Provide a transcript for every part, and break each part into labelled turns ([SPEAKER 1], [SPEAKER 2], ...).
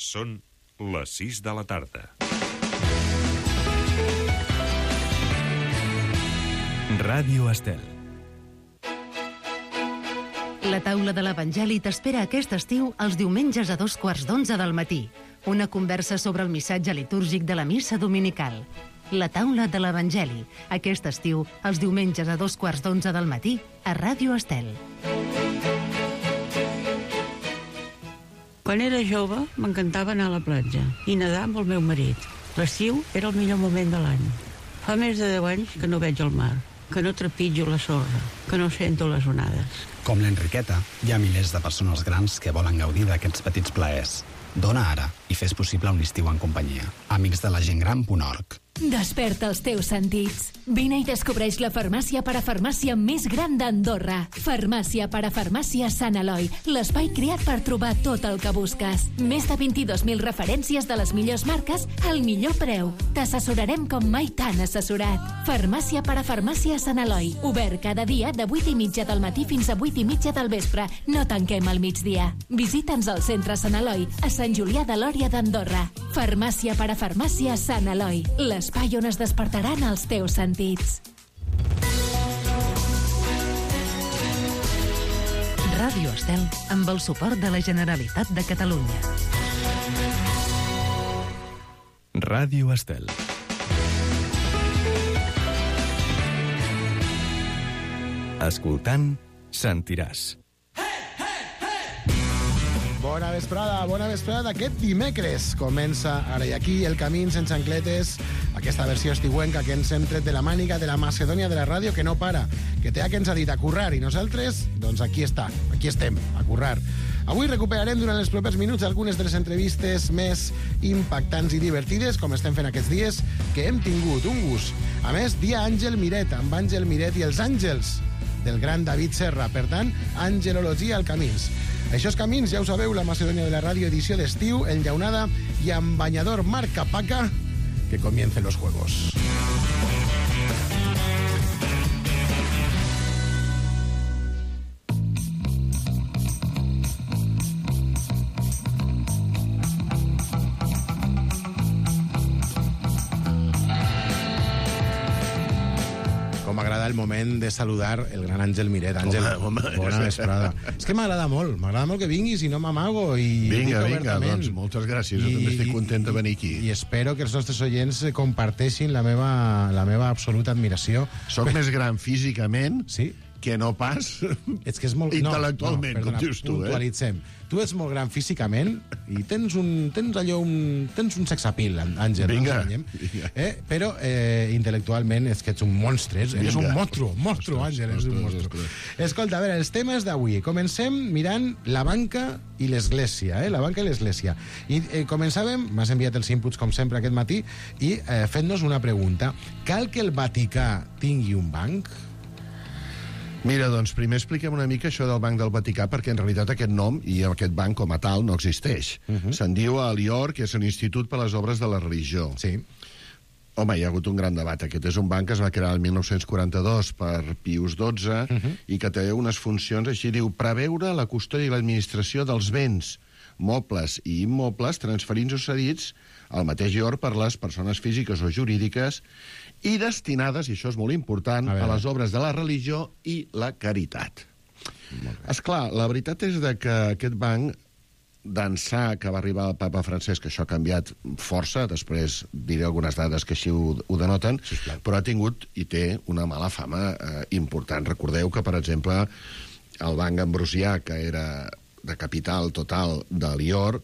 [SPEAKER 1] Són les 6 de la tarda.
[SPEAKER 2] Ràdio Estel.
[SPEAKER 3] La taula de l'Evangeli t'espera aquest estiu els diumenges a 11:15 del matí. Una conversa sobre el missatge litúrgic de la missa dominical. La taula de l'Evangeli, aquest estiu, els diumenges a 11:15 del matí, a Ràdio Estel.
[SPEAKER 4] Quan era jove, m'encantava anar a la platja i nedar amb el meu marit. L'estiu era el millor moment de l'any. Fa més de 10 anys que no veig el mar, que no trepitjo la sorra, que no sento les onades.
[SPEAKER 5] Com l'Enriqueta, hi ha milers de persones grans que volen gaudir d'aquests petits plaers. Dona ara i fes possible un estiu en companyia. amicsdelagentgran.org.
[SPEAKER 6] Desperta els teus sentits. Vine i descobreix la farmàcia parafarmàcia més gran d'Andorra. Farmàcia parafarmàcia Sant Eloi, l'espai creat per trobar tot el que busques. Més de 22.000 referències de les millors marques al millor preu. T'assessorarem com mai t'han assessorat. Farmàcia parafarmàcia Sant Eloi, obert cada dia de 8:30 del matí fins a 8:30 del vespre. No tanquem al migdia. Visita'ns al centre Sant Eloi, a Sant Julià de Lòria d'Andorra. Farmàcia parafarmàcia Sant Eloi, l'espai on es despertaran els teus sentits.
[SPEAKER 3] Ràdio Estel, amb el suport de la Generalitat de Catalunya.
[SPEAKER 2] Ràdio Estel. Escoltant, sentiràs.
[SPEAKER 7] Bona vesprada d'aquest dimecres. Comença ara i aquí el Camins sense ancletes, aquesta versió estiuenca que ens hem tret de la màniga de la Macedònia de la ràdio que no para, que té que ens ha dit a currar, i nosaltres, doncs aquí estem, a currar. Avui recuperarem durant els propers minuts algunes de les entrevistes més impactants i divertides, com estem fent aquests dies, que hem tingut un gust. A més, dia Àngel Miret, amb Àngel Miret i els Àngels del gran David Serra. Per tant, angelologia al Camins. Això és Camins, ja ho sabeu, la Macedònia de la ràdio, edició d'estiu, enllaunada i amb banyador marca Paca. Que comiencen los juegos. M'agrada el moment de saludar el gran Àngel Miret. Àngel, bona vesprada. És que m'agrada molt que vinguis i no m'amago.
[SPEAKER 8] Vinga, doncs moltes gràcies. Jo també estic content de venir aquí.
[SPEAKER 7] I espero que els nostres oients comparteixin la meva absoluta admiració.
[SPEAKER 8] Soc més gran físicament,
[SPEAKER 7] sí,
[SPEAKER 8] que no pas
[SPEAKER 7] que és molt...
[SPEAKER 8] intel·lectualment, com dius tu.
[SPEAKER 7] Puntualitzem. Tu ets molt gran físicament i tens un sexapil, Àngel.
[SPEAKER 8] Vinga.
[SPEAKER 7] Però intel·lectualment és que ets un monstre. És un monstru, Àngel, és un monstru. Escolta, a veure, els temes d'avui. Comencem mirant la banca i l'església, la banca i l'església. I començàvem, m'has enviat els inputs com sempre aquest matí, i fent-nos una pregunta. Cal que el Vaticà tingui un banc?
[SPEAKER 8] Mira, doncs primer expliquem una mica això del Banc del Vaticà, perquè en realitat aquest nom i aquest banc com a tal no existeix. Se'n diu a l'IOR, que és l'Institut per a les Obres de la Religió.
[SPEAKER 7] Sí.
[SPEAKER 8] Home, hi ha hagut un gran debat. Aquest és un banc que es va crear el 1942 per Pius XII i que té unes funcions, així diu, preveure la custòdia i l'administració dels béns, mobles i immobles transferits o cedits al mateix IOR per les persones físiques o jurídiques i destinades, i això és molt important, a les obres de la religió i la caritat. Esclar, la veritat és que aquest banc, d'ençà que va arribar el papa Francesc, que això ha canviat força, després diré algunes dades que així ho denoten, però ha tingut i té una mala fama important. Recordeu que, per exemple, el Banc Ambrosià, que era de capital total de l'IOR,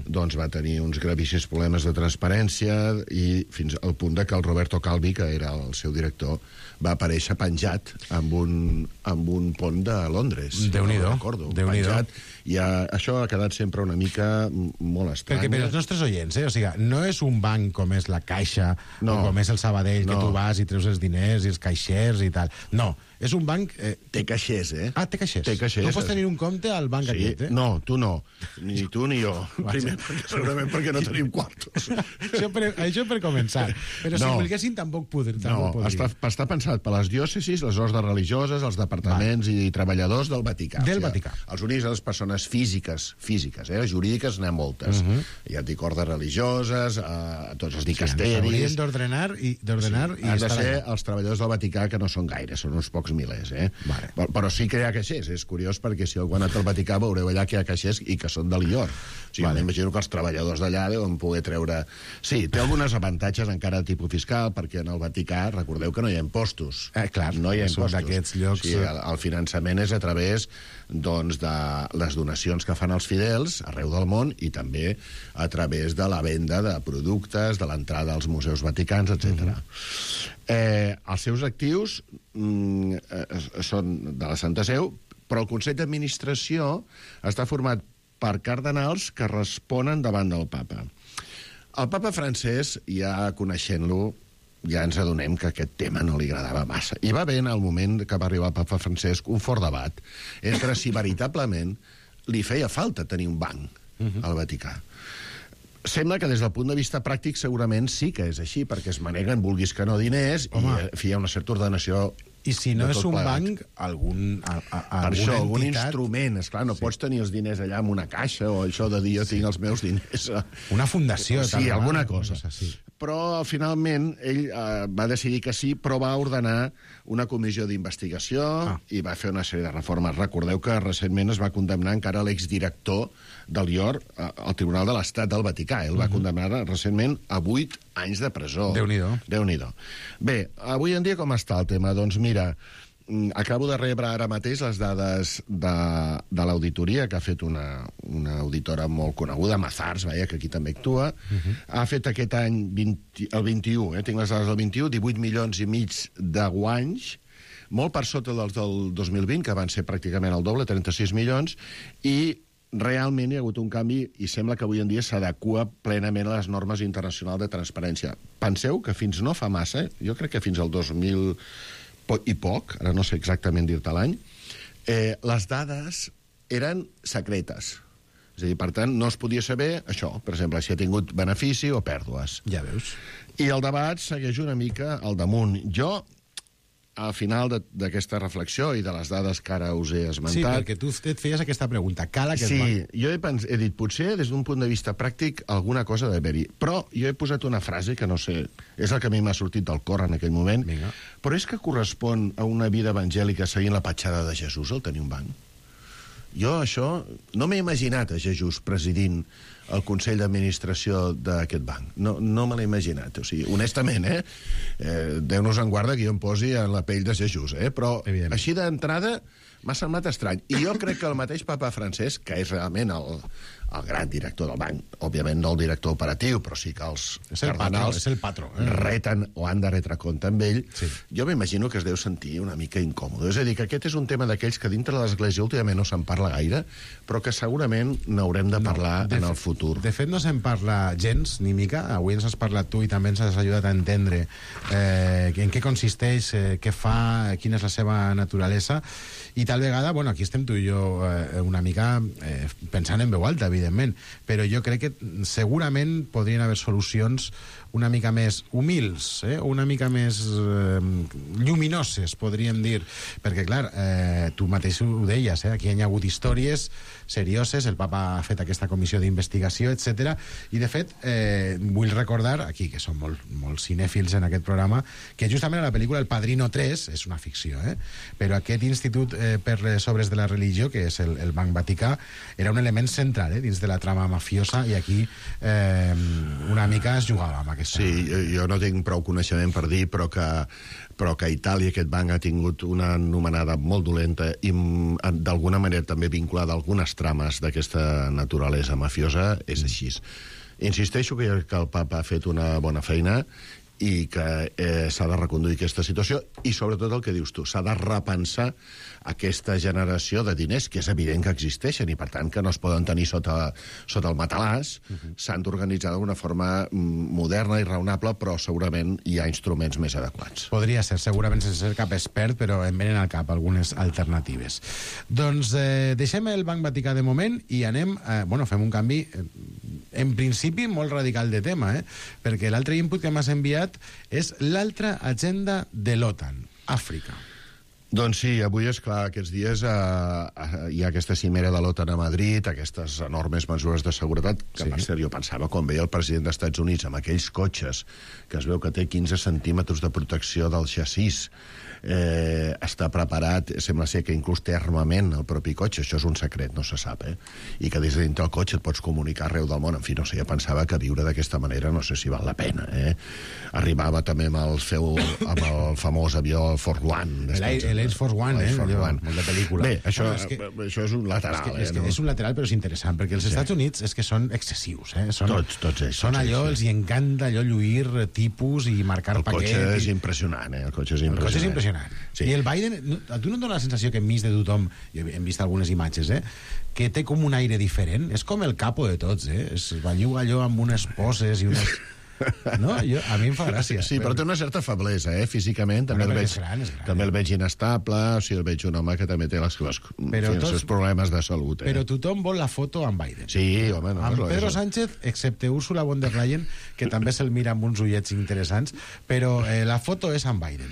[SPEAKER 8] doncs va tenir uns gravíssims problemes de transparència i fins al punt que el Roberto Calvi, que era el seu director, va aparèixer penjat amb un pont de Londres.
[SPEAKER 7] Déu-n'hi-do.
[SPEAKER 8] Penjat. I això ha quedat sempre una mica molt estrany.
[SPEAKER 7] Perquè per als nostres oients, o sigui, no és un banc com és la Caixa o com és el Sabadell, que tu vas i treus els diners i els caixers i tal. No, és un banc...
[SPEAKER 8] Té caixers,
[SPEAKER 7] Ah, té caixers.
[SPEAKER 8] Té caixers.
[SPEAKER 7] Tu pots tenir un compte al banc aquest,
[SPEAKER 8] No, tu no. Ni tu ni jo. Primer, segurament perquè no tenim quartos.
[SPEAKER 7] Això per començar. Però si volguessin tampoc podrien.
[SPEAKER 8] No, està pensat per les diòcesis, les ordres religioses, els departaments i treballadors del Vaticà.
[SPEAKER 7] Del Vaticà.
[SPEAKER 8] Els únics a les persones físiques, jurídiques n'hi ha moltes. Ja et dic ordres religioses, tots els dicasteris...
[SPEAKER 7] Haurien d'ordenar i
[SPEAKER 8] han de ser els treballadors del Vaticà, que no són gaire, són uns pocs milers,
[SPEAKER 7] Vale.
[SPEAKER 8] Però sí que hi ha caixers, és curiós, perquè si algú ha anat al Vaticà veureu allà que hi ha caixers i que són de l'Illor. O sigui, m'imagino que els treballadors d'allà deuen poder treure... Sí, té algunes avantatges encara de tipus fiscal, perquè en el Vaticà, recordeu que no hi ha impostos.
[SPEAKER 7] Clar,
[SPEAKER 8] no hi ha impostos.
[SPEAKER 7] D'aquests llocs...
[SPEAKER 8] Sí, el finançament és a través doncs, de les donacions que fan els fidels arreu del món i també a través de la venda de productes, de l'entrada als museus vaticans, etc. Els seus actius són de la Santa Seu, però el Consell d'Administració està format per cardenals que responen davant del papa. El papa francès, ja coneixent-lo, ja ens adonem que aquest tema no li agradava massa. I va haver, en el moment que va arribar el papa Francesc, un fort debat entre si veritablement li feia falta tenir un banc al Vaticà. Sembla que des del punt de vista pràctic segurament sí que és així, perquè es maneguen, vulguis que no, diners, i hi ha una certa ordenació.
[SPEAKER 7] I si no és un banc, algun
[SPEAKER 8] instrument. Esclar, no pots tenir els diners allà en una caixa o això de dir jo tinc els meus diners.
[SPEAKER 7] Una fundació.
[SPEAKER 8] Sí, alguna cosa. Però finalment ell va decidir que sí, però va ordenar una comissió d'investigació i va fer una sèrie de reformes. Recordeu que recentment es va condemnar encara l'exdirector del IOR al Tribunal de l'Estat del Vaticà. Ell va condemnar recentment a 8 anys de presó.
[SPEAKER 7] Déu-n'hi-do.
[SPEAKER 8] Bé, avui en dia com està el tema? Doncs mira, acabo de rebre ara mateix les dades de l'auditoria que ha fet una auditora molt coneguda, Mazars, que aquí també actua. Ha fet aquest any, el 21, tinc les dades del 21, 18 milions i mig de guanys, molt per sota dels del 2020, que van ser pràcticament el doble, 36 milions, i realment hi ha hagut un canvi i sembla que avui en dia s'adequa plenament a les normes internacionals de transparència. Penseu que fins no fa massa, jo crec que fins al 2000 i poc, ara no sé exactament dir-te l'any, les dades eren secretes. És a dir, per tant, no es podia saber això, per exemple, si ha tingut benefici o pèrdues.
[SPEAKER 7] Ja veus.
[SPEAKER 8] I el debat segueix una mica al damunt. Jo, al final d'aquesta reflexió i de les dades que ara us he esmentat...
[SPEAKER 7] Sí, perquè tu et feies aquesta pregunta. Cal aquest banc?
[SPEAKER 8] Sí, jo he dit, potser des d'un punt de vista pràctic alguna cosa d'haver-hi. Però jo he posat una frase que no sé, és el que a mi m'ha sortit del cor en aquell moment, però és que correspon a una vida evangèlica seguint la petjada de Jesús el tenir un banc. Jo això no m'he imaginat a Jesús presidint el Consell d'Administració d'aquest banc. No me l'he imaginat. O sigui, honestament, Déu-nos en guarda que jo em posi en la pell de Jesús, però així d'entrada m'ha semblat estrany. I jo crec que el mateix papa Francesc, que és realment el gran director del banc, òbviament no el director operatiu, però sí que els cardenals reten o han de retre compte amb ell, jo m'imagino que es deu sentir una mica incòmode. És a dir, que aquest és un tema d'aquells que dintre de l'Església últimament no se'n parla gaire, però que segurament n'haurem de parlar en el futur.
[SPEAKER 7] De fet, no se'n parla gens, ni mica. Avui ens has parlat tu i també ens has ajudat a entendre en què consisteix, què fa, quina és la seva naturalesa. I tal vegada, bueno, aquí estem tu i jo una mica pensant en veu alta, evidentment, però jo crec que segurament podrien haver solucions una mica més humils, una mica més lluminoses, podríem dir, perquè, clar, tu mateix ho deies, aquí hi ha hagut històries serioses, el papa ha fet aquesta comissió d'investigació, etc. I, de fet, vull recordar, aquí, que som molt cinèfils en aquest programa, que justament a la pel·lícula El Padrino 3, és una ficció, però aquest Institut per les Obres de la Religió, que és el Banc Vaticà, era un element central dins de la trama mafiosa, i aquí una mica es jugava amb aquesta...
[SPEAKER 8] Sí, jo no tinc prou coneixement per dir, però que a Itàlia aquest banc ha tingut una anomenada molt dolenta i d'alguna manera també vinculada a algunes trames d'aquesta naturalesa mafiosa, és així. Insisteixo que el papa ha fet una bona feina i que s'ha de reconduir aquesta situació i, sobretot, el que dius tu, s'ha de repensar aquesta generació de diners, que és evident que existeixen i, per tant, que no es poden tenir sota el matalàs, s'han d'organitzar d'una forma moderna i raonable, però segurament hi ha instruments més adequats.
[SPEAKER 7] Podria ser, segurament sense ser cap expert, però em venen al cap algunes alternatives. Doncs deixem el Banc Vaticà de moment i anem, fem un canvi en principi molt radical de tema, perquè l'altre input que m'has enviat és l'altra agenda de l'OTAN, Àfrica.
[SPEAKER 8] Doncs sí, avui, és clar, aquests dies hi ha aquesta cimera de l'OTAN a Madrid, aquestes enormes mesures de seguretat, que per cert jo pensava, quan veia el president dels Estats Units amb aquells cotxes, que es veu que té 15 centímetres de protecció del xassís, està preparat, sembla ser que inclús té armament el propi cotxe, això és un secret, no se sap, i que des de dintre el cotxe et pots comunicar arreu del món. En fi, no sé, jo pensava que viure d'aquesta manera no sé si val la pena. Arribava també amb el famós avió Force One.
[SPEAKER 7] L'Air Force One, molt de pel·lícula.
[SPEAKER 8] Bé, això és un lateral.
[SPEAKER 7] És un lateral, però és interessant, perquè els Estats Units és que són excessius.
[SPEAKER 8] Tots ells.
[SPEAKER 7] Són allò, els hi encanta allò lluir tipus i marcar paquet.
[SPEAKER 8] El cotxe és impressionant, El cotxe és impressionant.
[SPEAKER 7] Sí. I el Biden, a tu no et dona la sensació que enmig de tothom, hem vist algunes imatges, que té com un aire diferent? És com el capo de tots, es belluga allò amb unes poses i unes... No? A mi em fa gràcia.
[SPEAKER 8] Sí, però té una certa feblesa, físicament. També el veig inestable, o sigui, el veig un home que també té els seus problemes de salut.
[SPEAKER 7] Però tothom vol la foto amb Biden.
[SPEAKER 8] Sí, home, no.
[SPEAKER 7] Amb Pedro Sánchez, excepte Ursula von der Leyen, que també se'l mira amb uns ullets interessants, però la foto és amb Biden.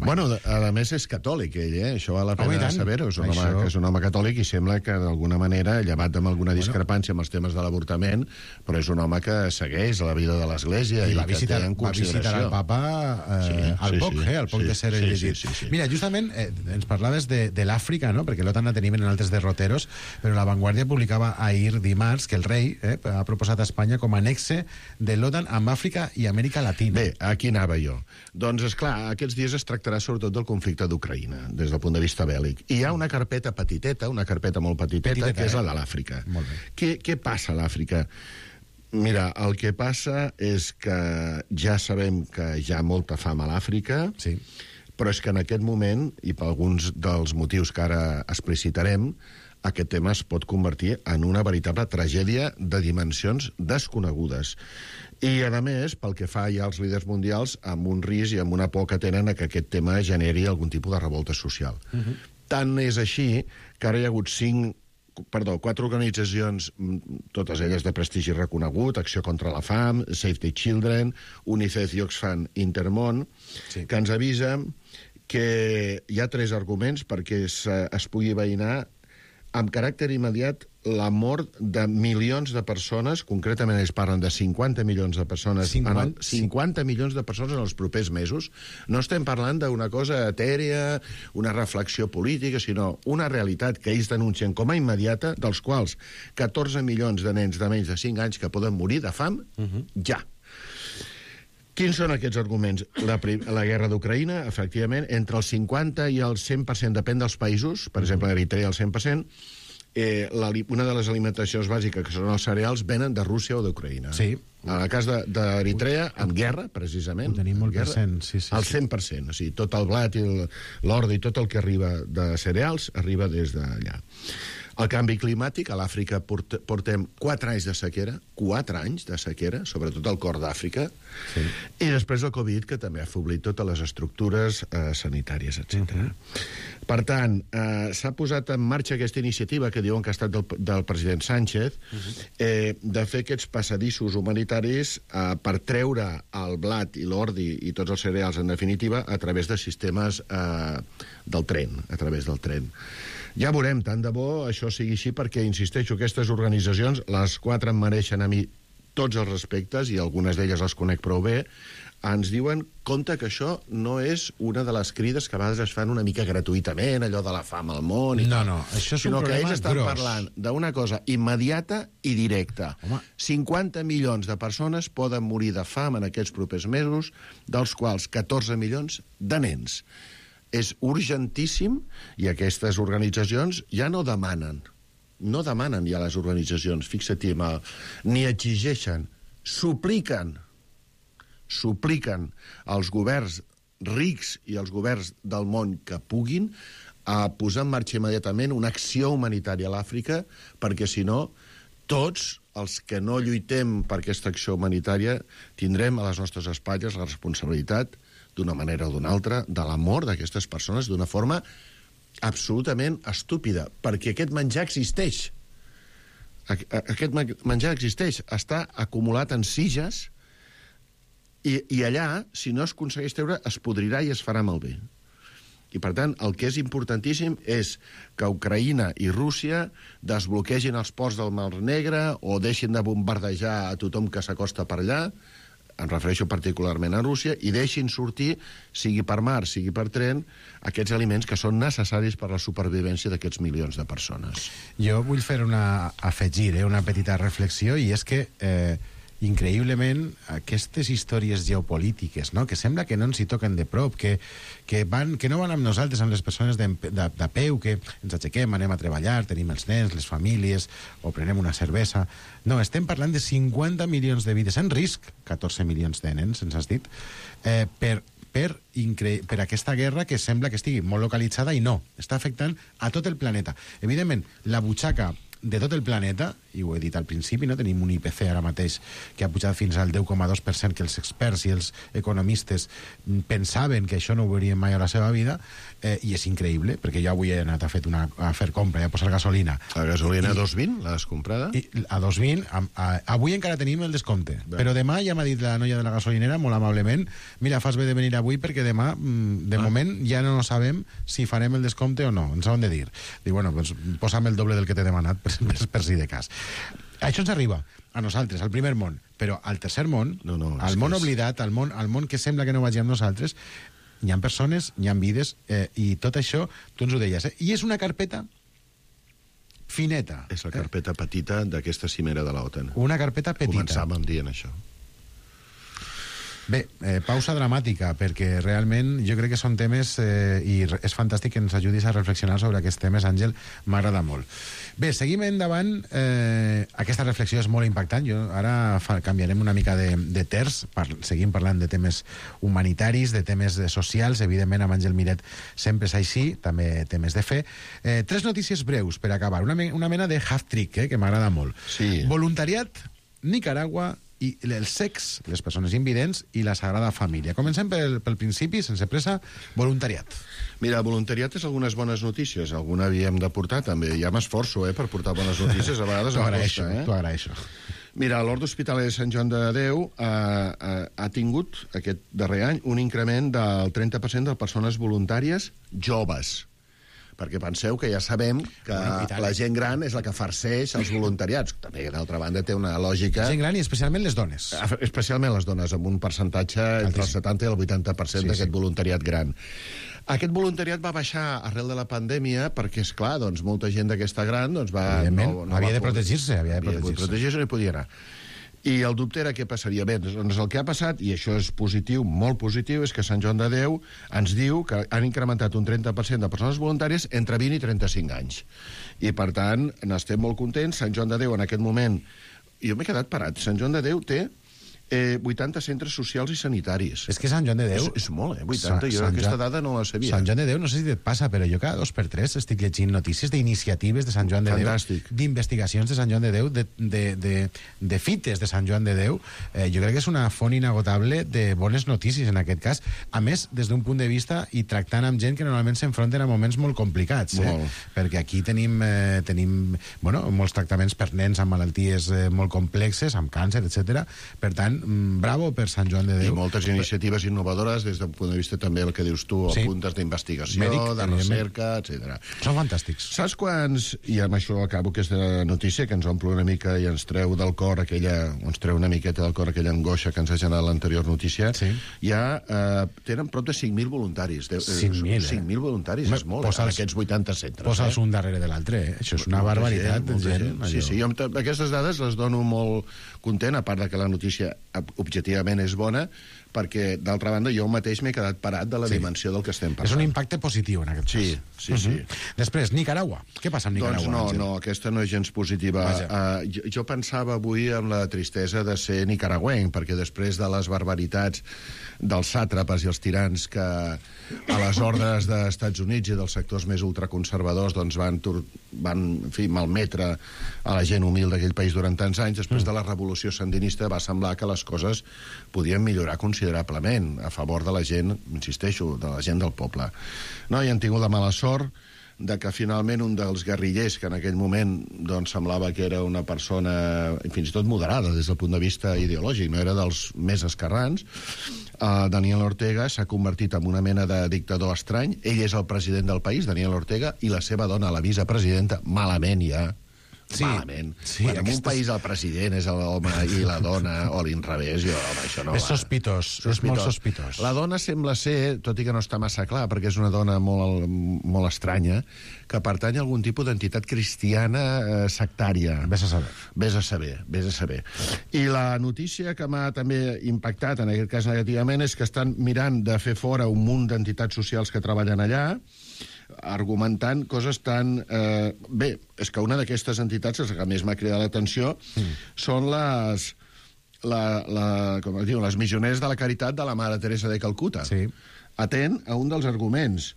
[SPEAKER 8] Bueno, a més és catòlic, ell, això val la pena saber-ho. És un home catòlic i sembla que, d'alguna manera, llevat amb alguna discrepància amb els temes de l'avortament, però és un home que segueix la vida de l'Església i va visitar el papa al poc de ser elegit. Mira, justament ens parlaves de l'Àfrica, no? Perquè l'OTAN la tenim en altres derroteros, però La Vanguardia publicava ahir dimarts que el rei ha proposat a Espanya com a nexe de l'OTAN amb Àfrica i Amèrica Latina. Bé, aquí anava jo. Doncs, esclar, aquests dies es tractarà sobretot del conflicte d'Ucraïna, des del punt de vista bèl·lic. I hi ha una carpeta petiteta, una carpeta molt petiteta, que és la de l'Àfrica. Què passa a l'Àfrica? Mira, el que passa és que ja sabem que hi ha molta fam a l'Àfrica, però és que en aquest moment, i per alguns dels motius que ara explicitarem, aquest tema es pot convertir en una veritable tragèdia de dimensions desconegudes. I, a més, pel que fa ja als líders mundials, amb un risc i amb una por que tenen a que aquest tema generi algun tipus de revolta social. Tant és així que ara hi ha hagut 4 organitzacions, totes elles de prestigi reconegut, Acció contra la Fam, Save the Children, UNICEF i Oxfam Intermón, que ens avisen que hi ha 3 arguments perquè es pugui veïnar amb caràcter immediat la mort de milions de persones, concretament ells parlen de 50 milions de persones, 50 milions de persones en els propers mesos. No estem parlant d'una cosa etèria, una reflexió política, sinó una realitat que ells denuncien com a immediata, dels quals 14 milions de nens de menys de 5 anys que poden morir de fam, ja. Quins són aquests arguments? La guerra d'Ucraïna, efectivament, entre el 50 i el 100%, depèn dels països, per exemple, Eritrea el 100%, una de les alimentacions bàsiques, que són els cereals, venen de Rússia o d'Ucraïna.
[SPEAKER 7] Sí.
[SPEAKER 8] En el cas d'Eritrea, amb guerra, precisament.
[SPEAKER 7] Ho tenim molt present, sí.
[SPEAKER 8] El 100%, o sigui, tot el blat i l'ordi i tot el que arriba de cereals arriba des d'allà. El canvi climàtic, a l'Àfrica portem 4 anys de sequera, 4 anys de sequera, sobretot al cor d'Àfrica, i després el Covid, que també ha afeblit totes les estructures sanitàries, etc. Per tant, s'ha posat en marxa aquesta iniciativa, que diuen que ha estat del president Sánchez, de fer aquests passadissos humanitaris per treure el blat i l'ordi i tots els cereals, en definitiva, a través de sistemes del tren, a través del tren. Ja veurem, tant de bo això sigui així, perquè, insisteixo, aquestes organitzacions, les 4 em mereixen a mi tots els respectes, i algunes d'elles les conec prou bé, ens diuen, compte que això no és una de les crides que a vegades es fan una mica gratuïtament, allò de la fam al món i
[SPEAKER 7] no, això és un
[SPEAKER 8] sinó
[SPEAKER 7] problema
[SPEAKER 8] que ells estan
[SPEAKER 7] gros.
[SPEAKER 8] parlant d'una cosa immediata i directa. 50 milions de persones poden morir de fam en aquests propers mesos, dels quals 14 milions de nens. És urgentíssim, i aquestes organitzacions ja no demanen ja les organitzacions, fixa-t'hi, ni exigeixen, supliquen supliquen als governs rics i als governs del món que puguin a posar en marxa immediatament una acció humanitària a l'Àfrica, perquè si no, tots els que no lluitem per aquesta acció humanitària tindrem a les nostres espatlles la responsabilitat, d'una manera o d'una altra, de la mort d'aquestes persones d'una forma absolutament estúpida, perquè aquest menjar existeix. Aquest menjar existeix, està acumulat en sitges i allà, si no es aconsegueix treure, es podrirà i es farà malbé. I, per tant, el que és importantíssim és que Ucraïna i Rússia desbloquegin els ports del Mar Negre o deixin de bombardejar a tothom que s'acosta per allà, em refereixo particularment a Rússia, i deixin sortir, sigui per mar, sigui per tren, aquests aliments que són necessaris per a la supervivència d'aquests milions de persones.
[SPEAKER 7] Jo vull fer afegir una petita reflexió, i és que increïblement aquestes històries geopolítiques, no? Que sembla que no ens hi toquen de prop, que no van amb nosaltres, amb les persones de peu, que ens aixequem, anem a treballar, tenim els nens, les famílies, o prenem una cervesa. No, estem parlant de 50 milions de vides en risc, 14 milions de nens, ens has dit, per aquesta guerra que sembla que estigui molt localitzada, i no, està afectant a tot el planeta. Evidentment, la butxaca de tot el planeta, i ho he dit al principi, no? Tenim un IPC ara mateix que ha pujat fins al 10,2%, que els experts i els economistes pensaven que això no ho veuríem mai a la seva vida, i és increïble, perquè jo avui he anat a fer compra i a posar gasolina.
[SPEAKER 8] La gasolina a 2,20, l'has comprada?
[SPEAKER 7] A 2,20, avui encara tenim el descompte, però demà ja m'ha dit la noia de la gasolinera, molt amablement, mira, fas bé de venir avui perquè demà, de moment, ja no sabem si farem el descompte o no, ens ho han de dir. Dic, bueno, doncs posa'm el doble del que t'he demanat, per si de cas. Això ens arriba a nosaltres, al primer món, però al tercer món, al món oblidat, al món que sembla que no vagi amb nosaltres, hi ha persones, hi ha vides, i tot això, tu ens ho deies, i és una carpeta fineta.
[SPEAKER 8] És la carpeta petita d'aquesta cimera de l'OTAN.
[SPEAKER 7] Una carpeta petita.
[SPEAKER 8] Començàvem dient això.
[SPEAKER 7] Bé, pausa dramàtica, perquè realment jo crec que són temes, i és fantàstic que ens ajudis a reflexionar sobre aquests temes, Àngel, m'agrada molt. Bé, seguim endavant. Aquesta reflexió és molt impactant. Ara canviarem una mica de terç, seguim parlant de temes humanitaris, de temes socials, evidentment amb Àngel Miret sempre és així, també temes de fe. 3 notícies breus per acabar, una mena de half-trick, que m'agrada molt.
[SPEAKER 8] Sí.
[SPEAKER 7] Voluntariat, Nicaragua i el sex, les persones invidents i la Sagrada Família. Comencem pel principi, sense pressa, voluntariat.
[SPEAKER 8] Mira, voluntariat és algunes bones notícies. Alguna havíem de portar, també. Ja m'esforço, per portar bones notícies. A vegades
[SPEAKER 7] t'ho agraeixo, t'ho agraeixo.
[SPEAKER 8] Mira, l'Orde Hospitalari de Sant Joan de Déu ha tingut, aquest darrer any, un increment del 30% de persones voluntàries joves. Perquè penseu que ja sabem que la gent gran és la que farceix els voluntariats. També, d'altra banda, té una lògica...
[SPEAKER 7] Gent gran i especialment les dones.
[SPEAKER 8] Especialment les dones, amb un percentatge entre el 70 i el 80% d'aquest voluntariat gran. Aquest voluntariat va baixar arrel de la pandèmia perquè, esclar, doncs, molta gent d'aquesta gran va...
[SPEAKER 7] Havia de protegir-se.
[SPEAKER 8] Havia de protegir-se, no hi podia anar. I el dubte era què passaria. Bé, doncs el que ha passat, i això és positiu, molt positiu, és que Sant Joan de Déu ens diu que han incrementat un 30% de persones voluntàries entre 20 i 35 anys. I, per tant, n'estem molt contents. Sant Joan de Déu, en aquest moment... Jo m'he quedat parat. Sant Joan de Déu té 80 centres socials i sanitaris.
[SPEAKER 7] És que Sant Joan de Déu...
[SPEAKER 8] És molt, 80. Jo aquesta dada no la sabia.
[SPEAKER 7] Sant Joan de Déu, no sé si et passa, però jo cada 2 per 3 estic llegint notícies d'iniciatives de Sant Joan de Déu, d'investigacions de Sant Joan de Déu, de fites de Sant Joan de Déu. Jo crec que és una font inagotable de bones notícies, en aquest cas. A més, des d'un punt de vista, i tractant amb gent que normalment s'enfronten a moments molt complicats. Perquè aquí tenim molts tractaments per nens amb malalties molt complexes, amb càncer, etc. Per tant, bravo per Sant Joan de Déu.
[SPEAKER 8] I moltes iniciatives innovadores des del punt de vista també el que dius tu, puntes d'investigació, de recerca, etc.
[SPEAKER 7] Són fantàstics.
[SPEAKER 8] Saps quants, i amb això acabo aquesta notícia que ens omple una mica i ens treu del cor ens treu una miqueta del cor aquella angoixa que ens ha generat l'anterior notícia, ja tenen prop de 5.000 voluntaris.
[SPEAKER 7] 5.000,
[SPEAKER 8] 5.000 voluntaris, és molt, en aquests 80 centres.
[SPEAKER 7] Posa'ls un darrere de l'altre, Això és una barbaritat.
[SPEAKER 8] Sí, jo aquestes dades les dono molt content, a part de que la notícia objectivament és bona, perquè, d'altra banda, jo mateix m'he quedat parat de la dimensió del que estem passant.
[SPEAKER 7] És un impacte positiu, en aquest cas.
[SPEAKER 8] Sí.
[SPEAKER 7] Després, Nicaragua. Què passa amb Nicaragua?
[SPEAKER 8] Doncs no, aquesta no és gens positiva. Jo pensava avui amb la tristesa de ser nicaragüenc, perquè després de les barbaritats dels sàtrapes i els tirans que a les ordres dels Estats Units i dels sectors més ultraconservadors doncs van malmetre a la gent humil d'aquell país durant tants anys, després de la revolució sandinista va semblar que les coses podien millorar considerablement a favor de la gent, insisteixo, de la gent del poble. No, i han tingut la mala sort de que finalment un dels guerrillers, que en aquell moment doncs, semblava que era una persona fins i tot moderada des del punt de vista ideològic, no era dels més esquerrans, Daniel Ortega s'ha convertit en una mena de dictador estrany. Ell és el president del país, Daniel Ortega, i la seva dona, la vicepresidenta, malament ja. Malament. Quan en un país el president és l'home i la dona, o l'inrevés, això no va.
[SPEAKER 7] És sospitós, és molt sospitós.
[SPEAKER 8] La dona sembla ser, tot i que no està massa clar, perquè és una dona molt estranya, que pertany a algun tipus d'entitat cristiana sectària.
[SPEAKER 7] Vés a
[SPEAKER 8] saber. I la notícia que m'ha també impactat, en aquest cas negativament, és que estan mirant de fer fora un munt d'entitats socials que treballen allà, argumentant coses tan... Bé, és que una d'aquestes entitats, que més m'ha cridat l'atenció, són les missioneres de la caritat de la Mare Teresa de Calcuta.
[SPEAKER 7] Sí.
[SPEAKER 8] Atent a un dels arguments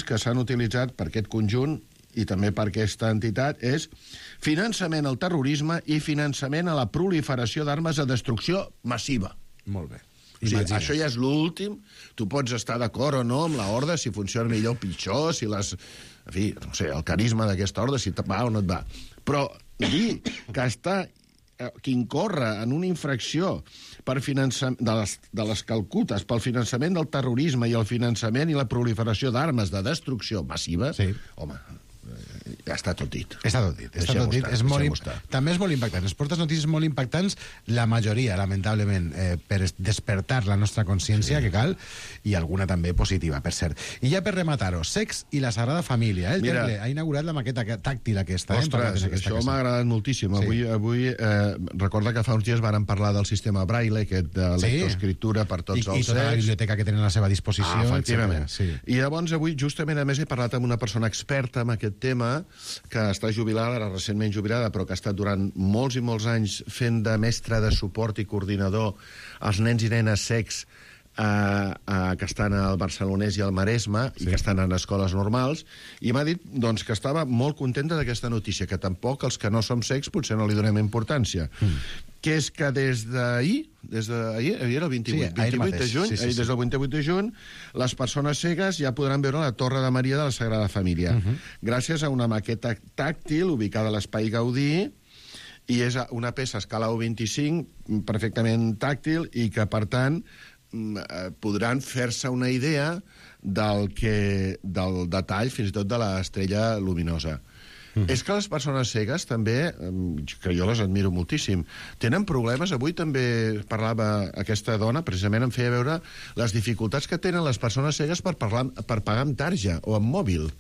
[SPEAKER 8] que s'han utilitzat per aquest conjunt i també per aquesta entitat és finançament al terrorisme i finançament a la proliferació d'armes de destrucció massiva.
[SPEAKER 7] Molt bé.
[SPEAKER 8] O sigui, això ja és l'últim. Tu pots estar d'acord o no amb la horda, si funciona millor o pitjor, si les... En fi, no sé, el carisma d'aquesta horda, si et va o no et va. Però dir que que incorre en una infracció per de les Calcutes pel finançament del terrorisme i el finançament i la proliferació d'armes de destrucció massiva, home... Ja està tot dit.
[SPEAKER 7] Està tot dit. També és molt impactant. Es portes notícies molt impactants, la majoria, lamentablement, per despertar la nostra consciència, que cal, i alguna també positiva, per cert. I ja per rematar-ho, Sex i la Sagrada Família. El Temple ha inaugurat la maqueta tàctil aquesta.
[SPEAKER 8] Ostres, això m'ha agradat moltíssim. Avui recorda que fa uns dies vàrem parlar del sistema Braille, aquest de lectoescriptura per tots els secs.
[SPEAKER 7] I tota la biblioteca que tenen a la seva disposició.
[SPEAKER 8] Efectivament. I llavors avui, justament, a més, he parlat amb una persona experta en aquest tema, que està jubilada, ara recentment jubilada, però que ha estat durant molts i molts anys fent de mestre de suport i coordinador als nens i nenes cecs que estan al Barcelonès i al Maresme i que estan en escoles normals, i m'ha dit doncs, que estava molt contenta d'aquesta notícia, que tampoc els que no som cecs potser no li donem importància. Que és que des d'ahir, era el 28 de juny, des del 28 de juny, les persones cegues ja podran veure la Torre de Maria de la Sagrada Família, gràcies a una maqueta tàctil ubicada a l'Espai Gaudí, i és una peça a escala 1:25, perfectament tàctil, i que, per tant, podran fer-se una idea del detall, fins i tot de l'estrella luminosa. És que les persones cegues també, que jo les admiro moltíssim, tenen problemes. Avui també parlava aquesta dona, precisament em feia veure les dificultats que tenen les persones cegues per pagar amb tarja o amb mòbil.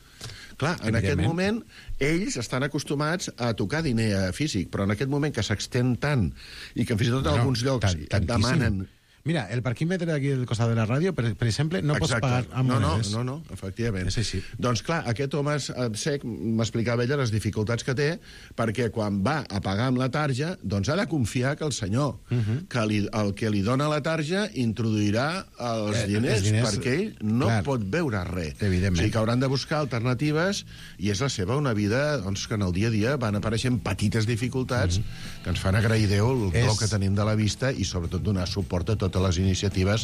[SPEAKER 8] Clar, en aquest moment ells estan acostumats a tocar diner físic, però en aquest moment que s'extén tant i que fins i tot en alguns llocs et demanen...
[SPEAKER 7] Mira, el parquímetre aquí al costat de la ràdio, per exemple, no pots pagar amb monedes.
[SPEAKER 8] No, efectivament.
[SPEAKER 7] És així.
[SPEAKER 8] Doncs clar, aquest home sec m'explicava ella les dificultats que té, perquè quan va a pagar amb la tarja, doncs ha de confiar que el senyor, el que li dona la tarja, introduirà els diners, perquè ell no pot veure res.
[SPEAKER 7] Evidentment.
[SPEAKER 8] O sigui que hauran de buscar alternatives, i és la seva una vida doncs, que en el dia a dia van apareixent petites dificultats que ens fan agrair Déu el to que tenim de la vista i sobretot donar suport a totes les iniciatives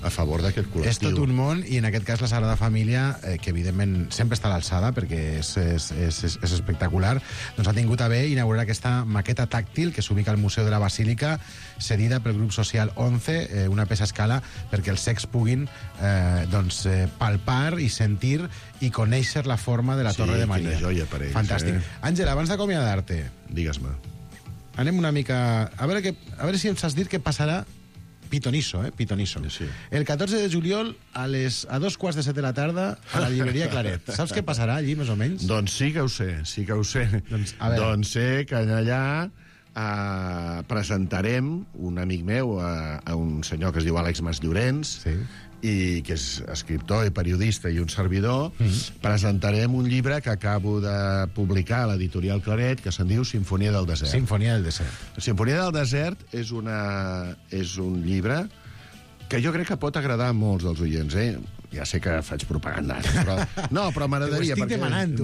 [SPEAKER 8] a favor d'aquest col·lectiu.
[SPEAKER 7] És tot un món, i en aquest cas la Sagrada Família, que evidentment sempre està a l'alçada perquè és espectacular, doncs ha tingut a bé inaugurar aquesta maqueta tàctil que s'ubica al Museu de la Basílica, cedida pel grup social 11, una peça a escala perquè els cecs puguin palpar i sentir i conèixer la forma de la Torre de Maria.
[SPEAKER 8] Quina joia per ells.
[SPEAKER 7] Fantàstic. Àngela, abans d'acomiadar-te,
[SPEAKER 8] digues-me.
[SPEAKER 7] Anem una mica... A veure si em saps dir què passarà Pitonisso.
[SPEAKER 8] Sí.
[SPEAKER 7] El 14 de juliol a 2:15 de la tarda a la llibreria Claret. Saps què passarà allí, més o menys?
[SPEAKER 8] Doncs sí que ho sé. Doncs sé que allà presentarem un amic meu, a un senyor que es diu Àlex Masllorens, i que és escriptor i periodista i un servidor. Presentarem un llibre que acabo de publicar a l'editorial Claret, que se'n diu Simfonia del desert.
[SPEAKER 7] Sinfonia del desert.
[SPEAKER 8] Sinfonia del desert és un llibre que jo crec que pot agradar a molts dels oients, Ja sé que faig propaganda, però m'agradaria...
[SPEAKER 7] T'ho estic demanant,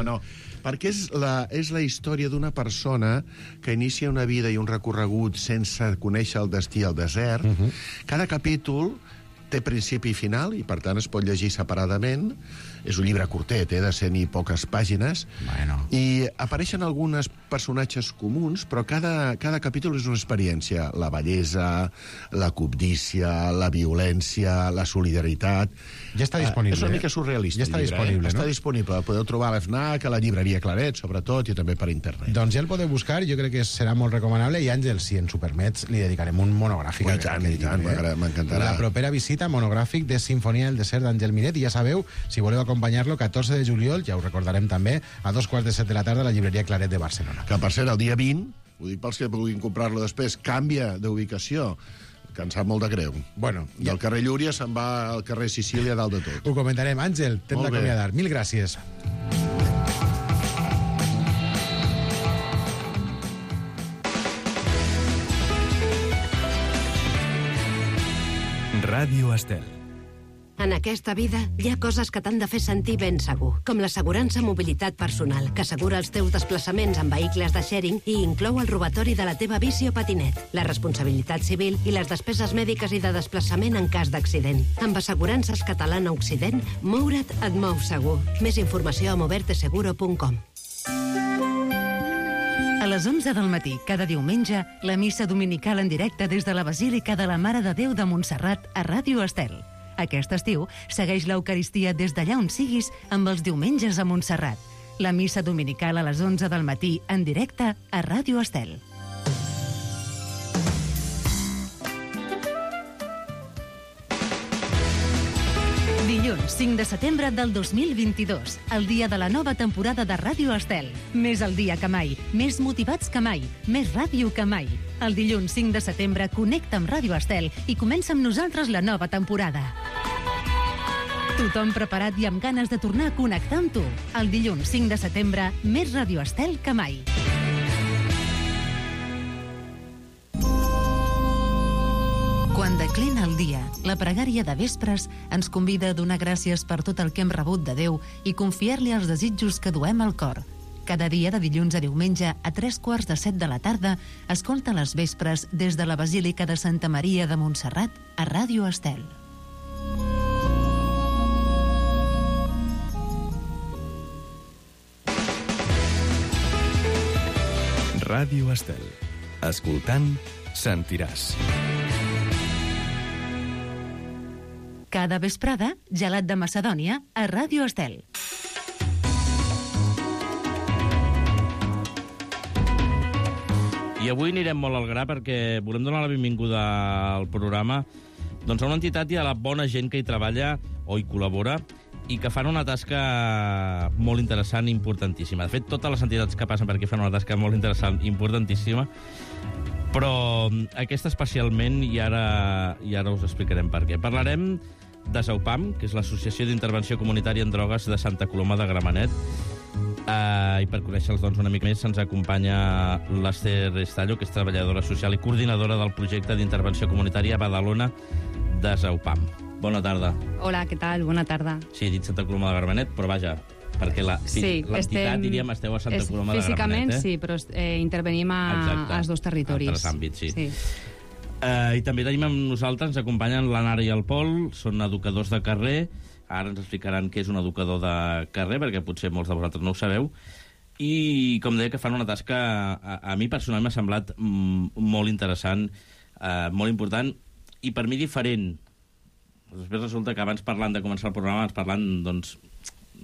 [SPEAKER 8] No. Perquè és la història d'una persona que inicia una vida i un recorregut sense conèixer el destí al desert. Cada capítol té principi i final, i per tant es pot llegir separadament. És un llibre curtet, de 100 i poques pàgines.
[SPEAKER 7] Bueno.
[SPEAKER 8] I apareixen alguns personatges comuns, però cada capítol és una experiència. La bellesa, la cobdícia, la violència, la solidaritat...
[SPEAKER 7] Ja està disponible.
[SPEAKER 8] És una mica surrealista.
[SPEAKER 7] Ja està disponible,
[SPEAKER 8] Està disponible. El podeu trobar a l'FNAC, a la llibreria Claret, sobretot, i també per internet.
[SPEAKER 7] Doncs ja el podeu buscar, jo crec que serà molt recomanable, i Àngel, si ens ho permets, li dedicarem un monogràfic.
[SPEAKER 8] I tant, m'encantarà.
[SPEAKER 7] La propera visita, monogràfic de Sinfonia del desert d'Àngel Miret, i ja sabeu, si voleu acompanyar-lo, 14 de juliol, ja ho recordarem també, a 2:15 de la tarda a la llibreria Claret de Barcelona.
[SPEAKER 8] Que, per cert, el dia 20, ho dic pels que vulguin comprar-lo després, canvia d'ubicació, que em sap molt de greu.
[SPEAKER 7] Bueno,
[SPEAKER 8] del carrer Llúria se'n va al carrer Sicília dalt de tot.
[SPEAKER 7] Ho comentarem. Àngel, t'hem d'acomiadar. Mil gràcies.
[SPEAKER 2] Ràdio Estel.
[SPEAKER 9] En aquesta vida hi ha coses que t'han de fer sentir ben segur, com l'assegurança mobilitat personal, que assegura els teus desplaçaments en vehicles de sharing i inclou el robatori de la teva bici o patinet, la responsabilitat civil i les despeses mèdiques i de desplaçament en cas d'accident. Amb Assegurances Catalana Occident, moure't et mou segur. Més informació a moverteseguro.com.
[SPEAKER 3] A les 11 del matí, cada diumenge, la missa dominical en directe des de la Basílica de la Mare de Déu de Montserrat a Ràdio Estel. Aquest estiu, segueix l'Eucaristia des d'allà on siguis amb els diumenges a Montserrat. La missa dominical a les 11 del matí, en directe a Ràdio Estel. Dilluns, 5 de setembre del 2022, el dia de la nova temporada de Ràdio Estel. Més al dia que mai, més motivats que mai, més ràdio que mai. El dilluns 5 de setembre connecta amb Ràdio Estel i comença amb nosaltres la nova temporada. Tothom preparat i amb ganes de tornar a connectar amb tu. El dilluns 5 de setembre, més Ràdio Estel que mai. Quan declina el dia, la pregària de vespres ens convida a donar gràcies per tot el que hem rebut de Déu i confiar-li els desitjos que duem al cor. Cada dia de dilluns a diumenge a 3:15 de la tarda, escolta les vespres des de la Basílica de Santa Maria de Montserrat a Ràdio Estel.
[SPEAKER 2] Ràdio Estel. Escoltant, sentiràs.
[SPEAKER 3] Cada vesprada, gelat de Macedònia a Ràdio Estel.
[SPEAKER 10] I avui anirem molt al gra perquè volem donar la benvinguda al programa doncs a una entitat i a la bona gent que hi treballa o hi col·labora i que fan una tasca molt interessant i importantíssima. De fet, totes les entitats que passen per aquí fan una tasca molt interessant i importantíssima, però aquesta especialment, i ara us explicarem per què. Parlarem de SAUPAM, que és l'Associació d'Intervenció Comunitària en Drogues de Santa Coloma de Gramenet. I per conèixer-los doncs, una mica més ens acompanya l'Ester Estallo, que és treballadora social i coordinadora del projecte d'intervenció comunitària a Badalona de SAUPAM. Bona tarda.
[SPEAKER 11] Hola, què tal? Bona tarda.
[SPEAKER 10] Sí, he dit Santa Coloma de Gramenet, però vaja, perquè l'entitat, diríem, esteu a Santa Coloma de Gramenet.
[SPEAKER 11] Físicament sí, però intervenim als dos territoris.
[SPEAKER 10] A altres àmbits, sí. I també tenim amb nosaltres, ens acompanyen l'Anara i el Pol, són educadors de carrer. Ara ens explicaran què és un educador de carrer, perquè potser molts de vosaltres no ho sabeu. I, com deia, que fan una tasca, a mi personalment m'ha semblat molt interessant, molt important, i per mi diferent. Després resulta que abans parlant de començar el programa, ens parlant, doncs,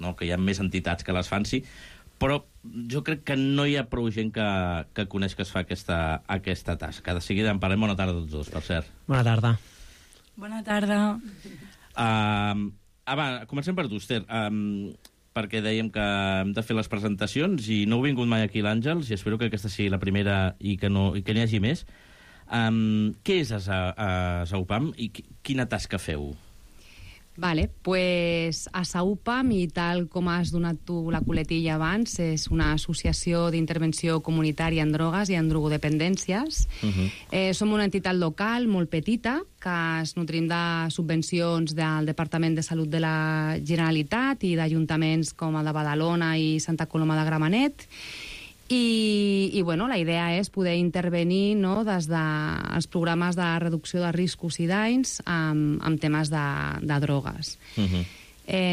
[SPEAKER 10] no, que hi ha més entitats que les fan, sí, però jo crec que no hi ha prou gent que coneix que es fa aquesta tasca. De seguida en parlem. Bona tarda a tots dos, per cert.
[SPEAKER 12] Bona tarda.
[SPEAKER 11] Bona tarda.
[SPEAKER 10] Va, comencem per tu, Esther. perquè dèiem que hem de fer les presentacions i no heu vingut mai aquí l'Àngels i espero que aquesta sigui la primera i que n'hi hagi més. Què és a Saupam i quina tasca feu?
[SPEAKER 11] Vale, pues a Saupam, i tal com has donat tu la coletilla abans, és una associació d'intervenció comunitària en drogues i en drogodependències. Som una entitat local molt petita que es nutrim de subvencions del Departament de Salut de la Generalitat i d'ajuntaments com el de Badalona i Santa Coloma de Gramenet. I bueno, la idea és poder intervenir, no, des dels programes de reducció de riscos i danys amb temes de drogues.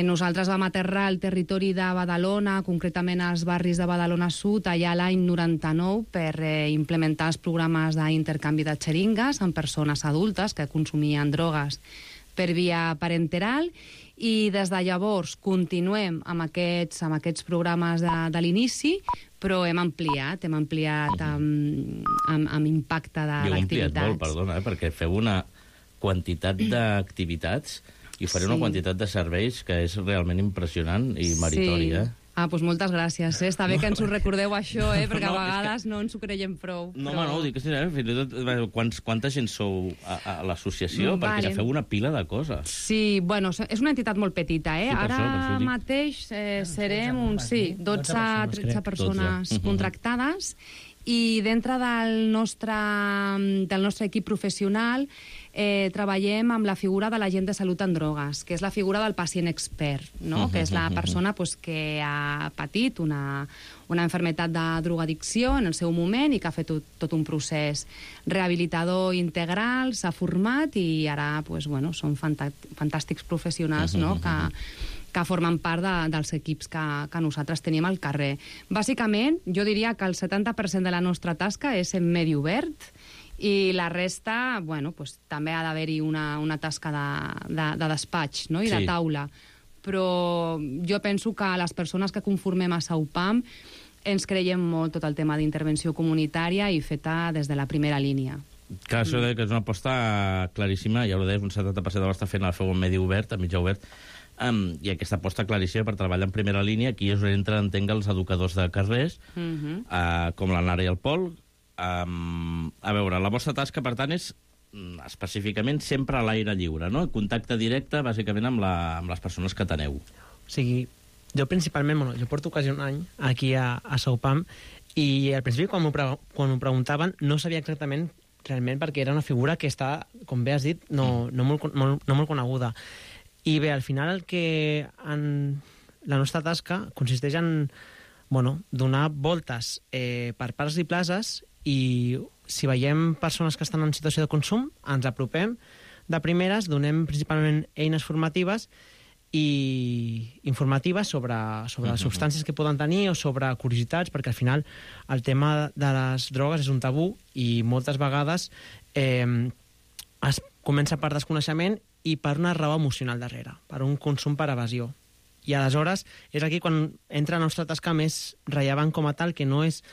[SPEAKER 11] Nosaltres vam aterrar al territori de Badalona, concretament als barris de Badalona Sud, allà l'any 99, per implementar els programes d'intercanvi de xeringues amb persones adultes que consumien drogues per via parenteral, i des de llavors continuem amb aquests programes de l'inici, però hem ampliat amb impacte de l'activitat.
[SPEAKER 10] Heu ampliat molt, perdona, perquè feu una quantitat d'activitats i fareu una quantitat de serveis que és realment impressionant i meritori,
[SPEAKER 11] Doncs moltes gràcies. Està bé que ens ho recordeu, això, perquè a vegades no ens ho creiem prou.
[SPEAKER 10] No, home, no, ho dic que fins i tot quanta gent sou a l'associació, perquè feu una pila de coses.
[SPEAKER 11] Sí, bueno, és una entitat molt petita, Ara mateix serem uns 12-13 persones contractades, i dintre del nostre equip professional treballem amb la figura de l'agent de salut en drogues, que és la figura del pacient expert, no? Que és la persona que ha patit una malaltia de drogadicció en el seu moment i que ha fet tot un procés rehabilitador integral, s'ha format i ara són fantàstics professionals, no? que formen part dels equips que nosaltres tenim al carrer. Bàsicament, jo diria que el 70% de la nostra tasca és en medi obert i la resta, també ha d'haver-hi una tasca de despatx, no? I de taula. Però jo penso que les persones que conformem a Saupam ens creiem molt tot el tema d'intervenció comunitària i feta des de la primera línia.
[SPEAKER 10] Clar, això que és una aposta claríssima, ja ho deies, un 70% de la vostra feina la feu en medi obert, a mitjà obert, i aquesta aposta claríssima per treballar en primera línia. Aquí és on entren, entenc, els educadors de carrers, com la Nara i el Pol. A veure, la vostra tasca, per tant, és específicament sempre a l'aire lliure, no? Contacte directe, bàsicament, amb les persones que teneu.
[SPEAKER 12] O sigui, jo principalment, jo porto quasi un any aquí a Saupam, i al principi, quan m'ho preguntaven, no sabia exactament realment, perquè era una figura que està, com bé has dit, no molt coneguda. I bé, al final la nostra tasca consisteix en donar voltes per parcs i places, i si veiem persones que estan en situació de consum, ens apropem de primeres, donem principalment eines formatives i informatives sobre les substàncies que poden tenir o sobre curiositats, perquè al final el tema de les drogues és un tabú i moltes vegades es comença per desconeixement i per una raó emocional darrere, per un consum per evasió. I aleshores és aquí quan entra la nostra tasca més rellevant com a tal, que no és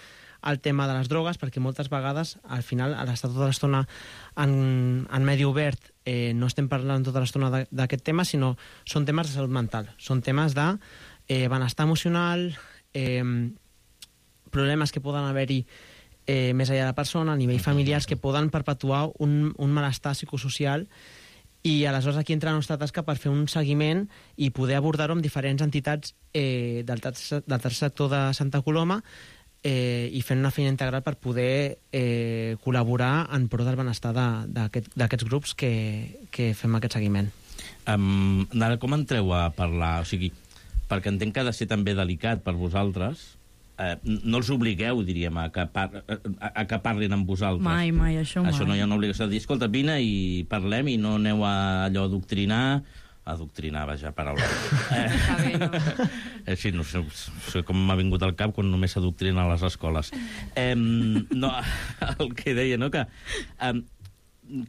[SPEAKER 12] el tema de les drogues, perquè moltes vegades, al final, a l'estar tota l'estona en medi obert, no estem parlant tota l'estona d'aquest tema, sinó són temes de salut mental, són temes de benestar emocional, problemes que poden haver-hi més enllà de la persona, a nivell familiars, que poden perpetuar un malestar psicosocial. I aleshores aquí entra la nostra tasca per fer un seguiment i poder abordar-ho amb diferents entitats del tercer sector de Santa Coloma i fent una feina integral per poder col·laborar en pro del benestar d'aquests grups que fem aquest seguiment.
[SPEAKER 10] Nara, com entreu a parlar? O sigui, perquè entenc que ha de ser també delicat per vosaltres. No els obligueu, diríem, a que parlin amb vosaltres.
[SPEAKER 13] Mai, això mai.
[SPEAKER 10] Això no hi ha una obligació de dir, escolta, vine i parlem i no aneu a allò a adoctrinar, vaja, paraula. Sí, no sé com m'ha vingut al cap quan només s'adoctrina a les escoles. No, el que deia, no?, que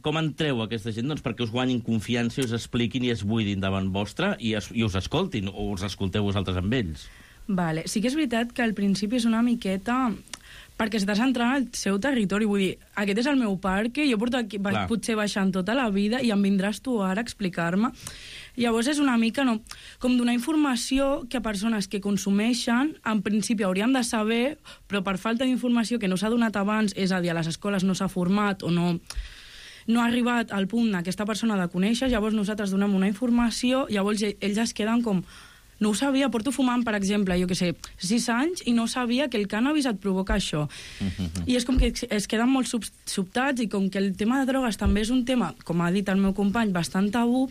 [SPEAKER 10] com entreu aquesta gent? Doncs perquè us guanyin confiança i us expliquin i es buidin davant vostre i us escoltin, o us escolteu vosaltres amb ells.
[SPEAKER 13] Vale. Sí que és veritat que al principi és una miqueta perquè s'està centrant al seu territori. Vull dir, aquest és el meu parc, jo porto aquí, potser baixant tota la vida i em vindràs tu ara a explicar-me. Llavors és una mica com donar informació que a persones que consumeixen en principi haurien de saber, però per falta d'informació que no s'ha donat abans, és a dir, a les escoles no s'ha format o no ha arribat al punt aquesta persona de conèixer, llavors nosaltres donem una informació, llavors ells es queden com... No ho sabia, porto fumant, per exemple, jo què sé, 6 anys i no sabia que el cànnabis et provoca això. I és com que es queden molt sobtats i com que el tema de drogues també és un tema, com ha dit el meu company, bastant tabú,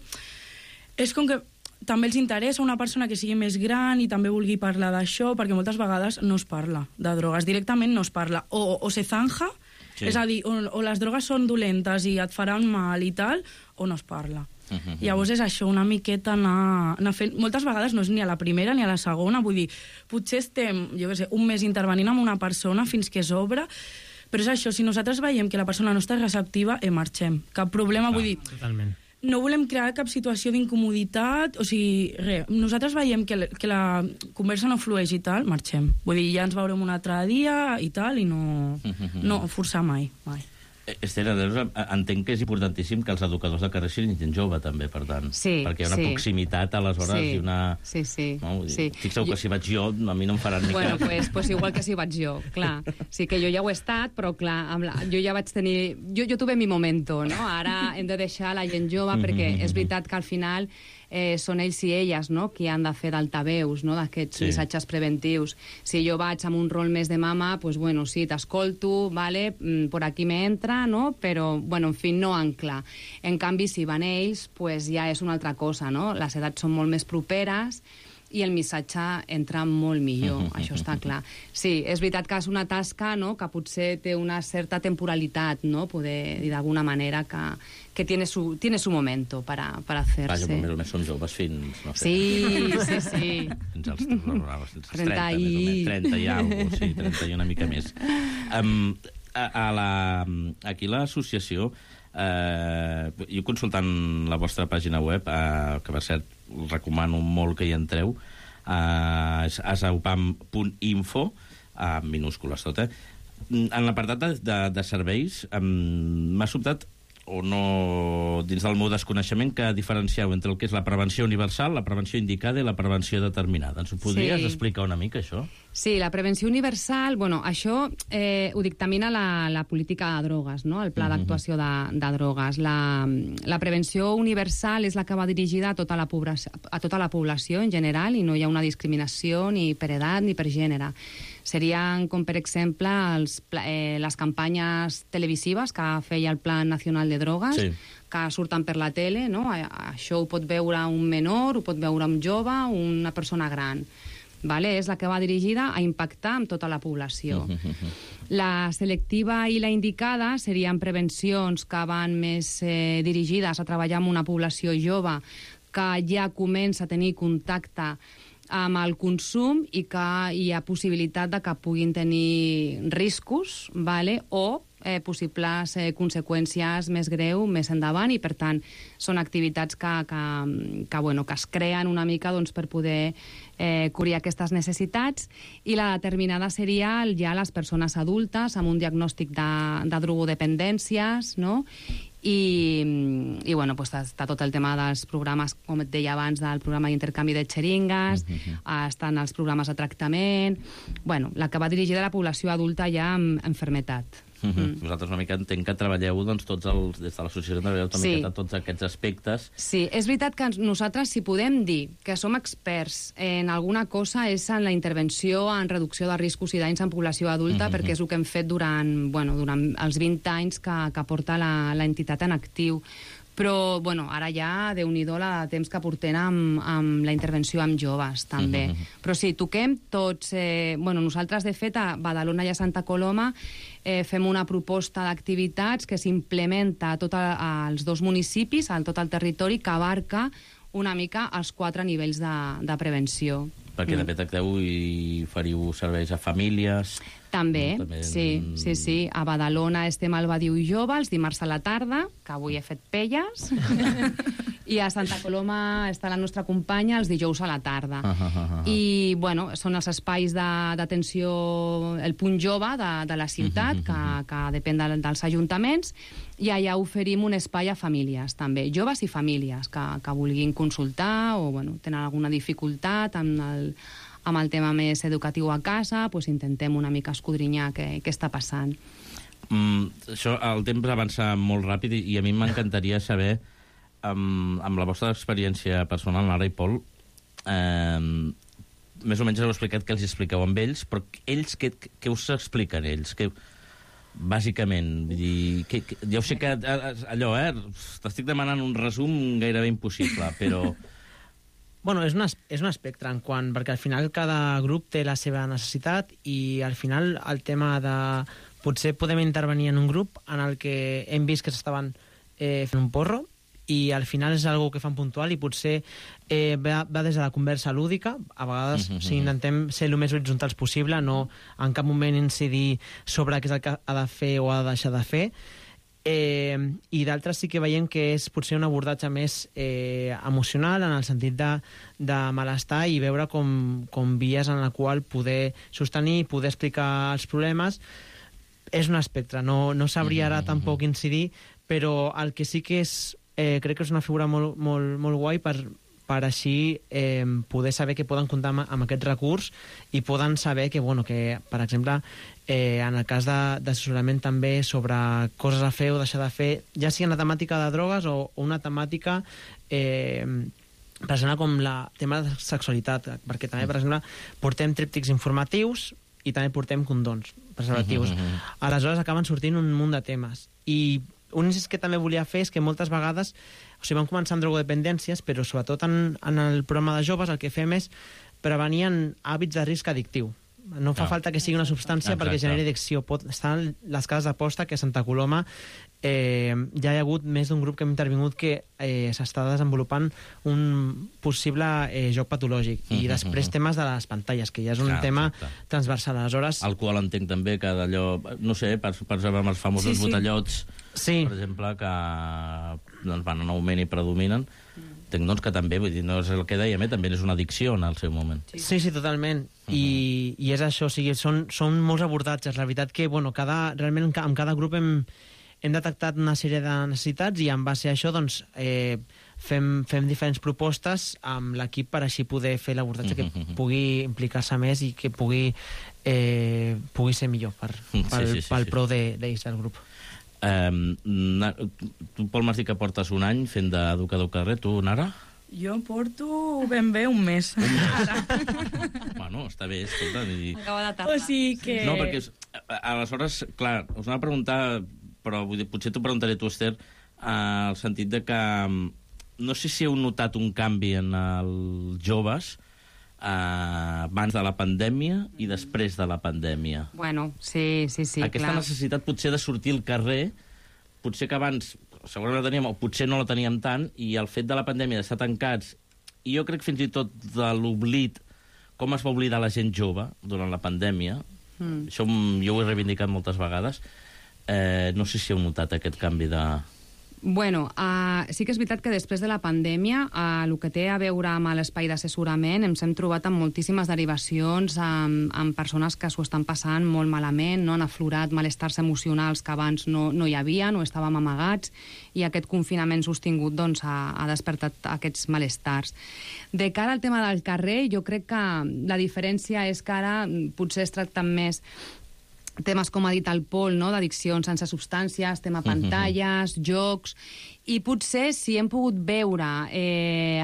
[SPEAKER 13] és com que també els interessa una persona que sigui més gran i també vulgui parlar d'això, perquè moltes vegades no es parla de drogues, directament no es parla. O se zanja, és a dir, o les drogues són dolentes i et faran mal i tal, o no es parla. Llavors és això, una miqueta anar fent... Moltes vegades no és ni a la primera ni a la segona, vull dir, potser estem, jo què sé, un mes intervenint amb una persona fins que s'obre, però és això, si nosaltres veiem que la persona no està receptiva, marxem. Cap problema, vull dir...
[SPEAKER 12] Totalment.
[SPEAKER 13] No volem crear cap situació d'incomoditat, o sigui, res, nosaltres veiem que la conversa no flueix i tal, marxem. Vull dir, ja ens veurem un altre dia i tal, i no forçar mai.
[SPEAKER 10] Esther, entenc que és importantíssim que els educadors de carrer siguin gent jove, també, per tant.
[SPEAKER 11] Sí,
[SPEAKER 10] perquè hi ha una proximitat, aleshores, i una...
[SPEAKER 11] Sí.
[SPEAKER 10] Estic segur que si vaig jo, a mi no em faran ni cas.
[SPEAKER 11] Bueno, pues igual que si vaig jo, clar. Sí que jo ja ho he estat, però clar, jo ja vaig tenir... Jo tuve mi momento, no? Ara hem de deixar la gent jove, perquè és veritat que al final són ells i elles, no?, qui han de fer d'altaveus, no?, d'aquests missatges preventius. Si jo vaig amb un rol més de mama, pues bueno, sí, t'escolto, vale, por aquí me entra, no?, però, bueno, en fi, no ancla. En canvi, si van ells, pues ja és una altra cosa, no?, les edats són molt més properes i el missatge entra molt millor, això està clar. Sí, és veritat que és una tasca, no?, que potser té una certa temporalitat, no?, poder dir d'alguna manera que tiene su momento para hacerse.
[SPEAKER 10] Vaja, però més o més són joves fins, no sé...
[SPEAKER 11] Sí.
[SPEAKER 10] Fins als 30, més o menys, 30 i alguna cosa, sí, 30 i una mica més. Aquí l'associació, jo consultant la vostra pàgina web, que per cert recomano molt que hi entreu, és asaupam.info, minúscules tot, en l'apartat de serveis m'ha sobtat, o no, dins del meu desconeixement, que diferencieu entre el que és la prevenció universal, la prevenció indicada i la prevenció determinada. Ens ho podries explicar una mica, això?
[SPEAKER 11] Sí, la prevenció universal, bueno, això ho dictamina la política de drogues, no?, el pla d'actuació de drogues. La prevenció universal és la que va dirigida a tota la població en general i no hi ha una discriminació ni per edat ni per gènere. Serien, com per exemple, les campanyes televisives que feia el Plan Nacional de Drogues, que surten per la tele, no? Això ho pot veure un menor, ho pot veure un jove, una persona gran. Vale? És la que va dirigida a impactar amb tota la població. La selectiva i la indicada serien prevencions que van més dirigides a treballar amb una població jove que ja comença a tenir contacte amb el consum i que hi ha possibilitat de que puguin tenir riscos, vale? O possibles conseqüències més greu més endavant, i per tant són activitats que es creen una mica per poder cobrir aquestes necessitats. I la determinada seria ja les persones adultes amb un diagnòstic de drogodependències, no? I bueno, pues està tot el tema dels programes, com et deia abans, del programa d'intercanvi de xeringues, estan els programes de tractament... Bueno, la que va dirigida a la població adulta ja amb malaltia.
[SPEAKER 10] Vosaltres una mica entenc que treballeu des de l'associació treballeu una miqueta tots aquests aspectes.
[SPEAKER 11] Sí, és veritat que nosaltres, si podem dir que som experts en alguna cosa, és en la intervenció en reducció de riscos i danys en població adulta, perquè és el que hem fet durant els 20 anys que porta l'entitat en actiu. Però, bueno, ara ja, Déu-n'hi-do, la temps que portem amb la intervenció amb joves, també. Però sí, toquem tots... nosaltres, de fet, a Badalona i a Santa Coloma fem una proposta d'activitats que s'implementa a tots els dos municipis, a tot el territori, que abarca una mica els 4 nivells de prevenció.
[SPEAKER 10] Perquè de tracteu i fariu serveis a famílies...
[SPEAKER 11] També, sí. A Badalona estem al Badiu i Jove, els dimarts a la tarda, que avui he fet pelles, I a Santa Coloma està la nostra companya els dijous a la tarda. I, bueno, són els espais d'atenció, el punt jove de la ciutat, que depèn dels ajuntaments, i allà oferim un espai a famílies, també, joves i famílies, que vulguin consultar o, bueno, tenen alguna dificultat amb el tema més educatiu a casa, doncs intentem una mica escudrinyar què està passant.
[SPEAKER 10] Això, el temps avança molt ràpid i a mi m'encantaria saber, amb la vostra experiència personal, Nara i Pol, més o menys heu explicat què els expliqueu amb ells, però ells, què us expliquen ells? Bàsicament, ja ho sé que allò, t'estic demanant un resum gairebé impossible, però...
[SPEAKER 12] Bueno, és un espectre, perquè al final cada grup té la seva necessitat i al final el tema de... Potser podem intervenir en un grup en el que hem vist que s'estaven fent un porro i al final és algo que fan puntual i potser va des de la conversa lúdica, a vegades intentem ser el més horitzontals possible, no en cap moment incidir sobre què és el que ha de fer o ha de deixar de fer, i d'altres sí que veiem que és potser un abordatge més emocional, en el sentit de malestar i veure com vies en la qual poder sostenir, poder explicar els problemes. És un espectre, no sabria ara tampoc incidir, però el que sí que és crec que és una figura molt guai per així poder saber que poden comptar amb aquest recurs i poden saber que, per exemple, en el cas d'assessorament també sobre coses a fer o deixar de fer, ja sigui una temàtica de drogues o una temàtica per exemple com el tema de sexualitat, perquè també, per exemple, portem tríptics informatius i també portem condons preservatius. Aleshores acaben sortint un munt de temes. I un incís que també volia fer és que moltes vegades, vam començar amb drogodependències, però sobretot en el programa de joves el que fem és prevenir hàbits de risc addictiu. No fa falta que sigui una substància perquè generi addicció. Estan les cases d'aposta que a Santa Coloma ja hi ha hagut més d'un grup que hem intervingut que s'està desenvolupant un possible joc patològic. I després temes de les pantalles, que ja és un tema transversal. Aleshores...
[SPEAKER 10] Alcohol entenc també que d'allò... No sé, per exemple, amb els famosos botellots, per exemple, que van en augment i predominen. Entenc que també, vull dir, no és el que dèiem, també és una addicció en el seu moment.
[SPEAKER 12] Sí, totalment. I és això, o sigui, són molts abordatges. La veritat que, realment amb cada grup hem detectat una sèrie de necessitats i en base a això, doncs, fem diferents propostes amb l'equip per així poder fer l'abordatge que pugui implicar-se més i que pugui ser millor pel pro d'ells del grup.
[SPEAKER 10] Tu, Pol, m'has dit que portes un any fent d'educador carrer. Tu, Nara?
[SPEAKER 13] Jo porto ben bé un mes.
[SPEAKER 10] Bueno, està bé, escolta.
[SPEAKER 11] Acaba de tardar.
[SPEAKER 13] O sigui que...
[SPEAKER 10] No, perquè aleshores, clar, us anava a preguntar, però potser t'ho preguntaré tu, Esther, al sentit de que no sé si heu notat un canvi en els joves abans de la pandèmia i després de la pandèmia.
[SPEAKER 11] Bueno, sí,
[SPEAKER 10] Aquesta necessitat potser de sortir al carrer, potser que abans segurament la teníem, o potser no la teníem tant, i el fet de la pandèmia d'estar tancats, i jo crec fins i tot de l'oblit, com es va oblidar la gent jove durant la pandèmia, això jo ho he reivindicat moltes vegades, no sé si heu notat aquest canvi de...
[SPEAKER 11] Bueno, sí que és veritat que després de la pandèmia el que té a veure amb l'espai d'assessorament ens hem trobat amb moltíssimes derivacions amb persones que s'ho estan passant molt malament, no? Han aflorat malestars emocionals que abans no hi havia, no estàvem amagats, i aquest confinament sostingut doncs, ha despertat aquests malestars. De cara al tema del carrer, jo crec que la diferència és que ara potser es tracten més temes, com ha dit el Pol, no? D'addiccions sense substàncies, tema pantalles, jocs, i potser si hem pogut veure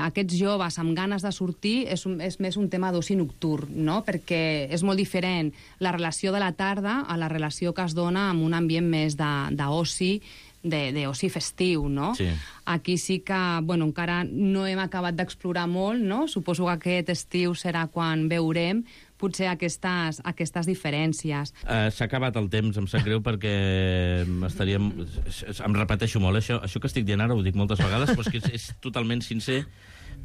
[SPEAKER 11] aquests joves amb ganes de sortir és més un tema d'oci nocturn, no? Perquè és molt diferent la relació de la tarda a la relació que es dona en un ambient més d'oci, d'oci festiu, no?
[SPEAKER 10] Sí.
[SPEAKER 11] Aquí sí que, encara no hem acabat d'explorar molt, no? Suposo que aquest estiu serà quan veurem potser aquestes diferències.
[SPEAKER 10] S'ha acabat el temps, em sap greu, perquè em repeteixo molt, això que estic dient ara ho dic moltes vegades, però és totalment sincer,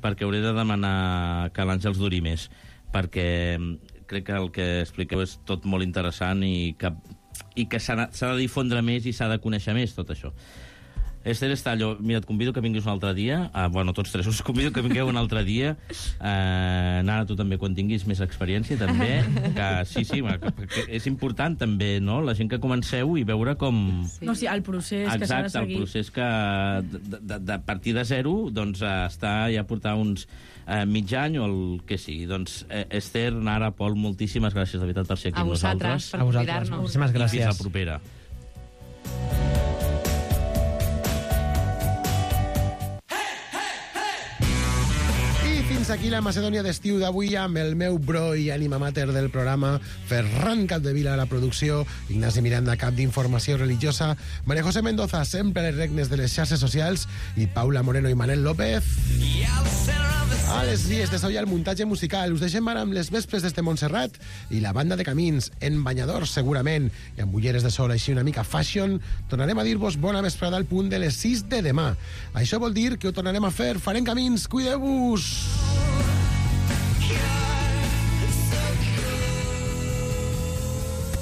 [SPEAKER 10] perquè hauré de demanar que l'Àngels duri més, perquè crec que el que expliqueu és tot molt interessant i que s'ha de difondre més i s'ha de conèixer més tot això. Esther Estallo, mira, et convido que vinguis un altre dia. Bueno, tots tres us convido que vingueu un altre dia. Nara, tu també, quan tinguis més experiència, també. Que és important, també, no? La gent que comenceu i veure com...
[SPEAKER 13] No, sí, el procés que s'ha de seguir.
[SPEAKER 10] Exacte, el procés que, de partir de zero, doncs, està ja portar uns mig any o el que sigui. Doncs, Esther, Nara, Pol, moltíssimes gràcies, de veritat, per ser aquí amb nosaltres.
[SPEAKER 11] A vosaltres, per convidar-nos.
[SPEAKER 12] Moltíssimes gràcies.
[SPEAKER 10] I fins la propera.
[SPEAKER 7] Fins aquí la Macedònia d'estiu d'avui amb el meu bro i ànima mater del programa, Ferran Capdevila a la producció, Ignasi Miranda, cap d'informació religiosa, María José Mendoza, sempre a les regnes de les xarxes socials, i Paula Moreno i Manel López a les vies de so i al muntatge musical. Us deixem ara amb les vespres des de Montserrat i la banda de Camins, en banyadors segurament, i amb ulleres de sol així una mica fashion. Tornarem a dir-vos bona vesprada al punt de les 6 de demà. Això vol dir que ho tornarem a fer. Farem Camins, cuideu-vos!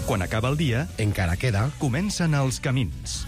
[SPEAKER 2] Quan acaba el dia,
[SPEAKER 7] encara queda,
[SPEAKER 2] comencen els camins.